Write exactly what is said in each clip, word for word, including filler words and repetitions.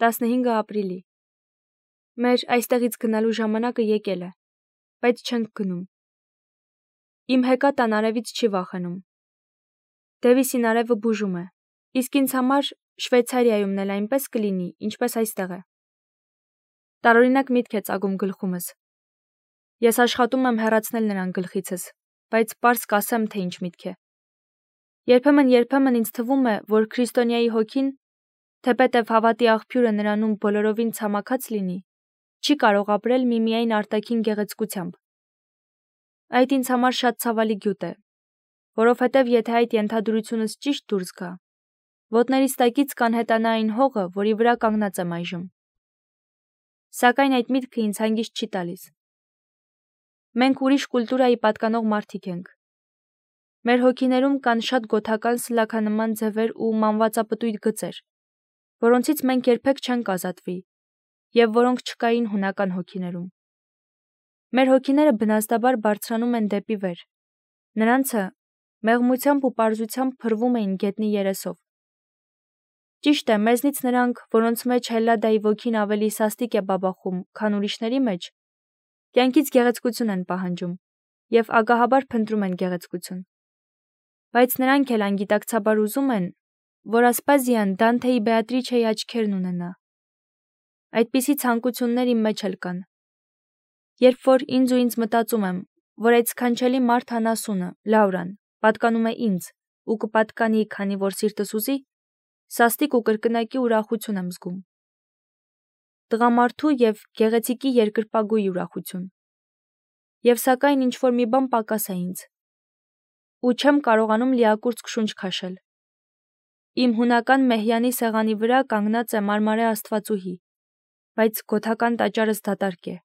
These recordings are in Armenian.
տասնհինգ ապրիլի։ Մեր այստեղից գնալու ժամանակը եկել է, բայց չենք գնում։ Իմ հեկատան արևից չի վախենում։ Դևիսին արևը բուժում է, իսկ ինձ համար Շվեյցարիայումն էլ այնպես կլինի, ինչպես այստեղ է։ Տարօրինակ միտք է ծագում գլխումս։ Ես աշխատում եմ հեռացնել նրան գլխիցս, բայց պարզ կասեմ, թե ինչ միտք է։ Երբեմն-երբեմն ինձ թվում է, որ քրիստոնյայի հոգին, թեպետև հավատի աղբյուրը նրանում բոլորովին ցամաքած լինի, չի կարող ապրել միմիայն արտաքին գեղեցկությամբ։ Այդ ինձ համար շատ ցավալի գյուտ է, որովհետև եթե այդ ենթադրությունս ճիշտ դուրս գա, ոտներիս տակից կանհետանա այն հողը, որի վրա կանգնած եմ այժմ։ Սակայն այդ միտքը ինձ հանգիստ չի տալիս։ Մենք ուրիշ կուլտուրայի պատկանող մարդիկ ենք։ Մեր հոգիներում կան շատ գոթական սլաքանման ձևեր ու մանվածապտույտ գծեր, որոնցից մենք երբեք չենք ազատվի, և որոնք չկային հունական հոգիներում։ Մեր հոգիները բնազդաբար բարձրանում են դեպի վեր, նրանցը մեղմությամբ ու պարզությամբ փրվում էին գետնի երեսով։ Ճիշտ է, մեզնից նրանք, որոնց մեջ Հելլադայի ոգին ավելի սաստիկ է բաբախում, քան ուրիշների մեջ, կյանքից գեղեցկություն են պահանջում և ագահաբար փնտրում են գեղեցկություն։ Բայց նրանք էլ անգիտակցաբար ուզում են, որ Ասպազիան Դանթեի Բեատրիչեի աչքերն ունենա։ Այդպիսի ցանկություններ իմ մեջ էլ կան։ Երբ որ ինձ ու ինձ մտածում եմ, որ այդ սքանչելի մարդ անասունը, Լաուրան, պատկանում է ինձ ու կպատկանի, քանի որ սիրտս ուզի, սաստիկ ու կրկնակի ուրախություն եմ զգում։ Տղամարդու և գեղեցիկի երկրպագուի ուրախություն։ Եվ սակայն ինչ-որ մի բան պակաս է ինձ, ու չեմ կարողանում լիակուրծք շունչ քաշել։ Իմ հունական մեհյանի սեղանի վրա կանգնած է մարմարե աստվածուհի, բայց գոթական տաճարս դատարկ է։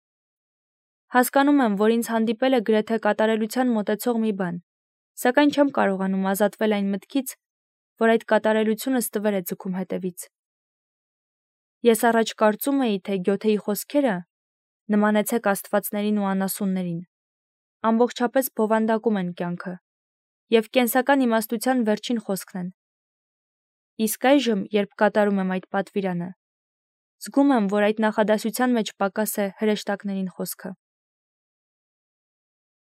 Հասկանում եմ, որ ինձ հանդիպել է գրեթե կատարելության մոտեցող մի բան, սակայն չեմ կարողանում ազատվել այն մտքից, որ այդ կատարելությունը ստվեր է ձգում հետևից։ Ես առաջ կարծում էի, թե Գյոթեի խոսքերը նմանեցեք աստվածներին ու անասուններին, ամբողջապես բովանդակում են կյանքը և կենսական իմաստության վերջին խոսքն են։ Իսկ այժմ, երբ կատարում եմ այդ պատվիրանը, զգում եմ, որ այդ նախադասության մեջ պակաս է հրեշտակներին խոսքը։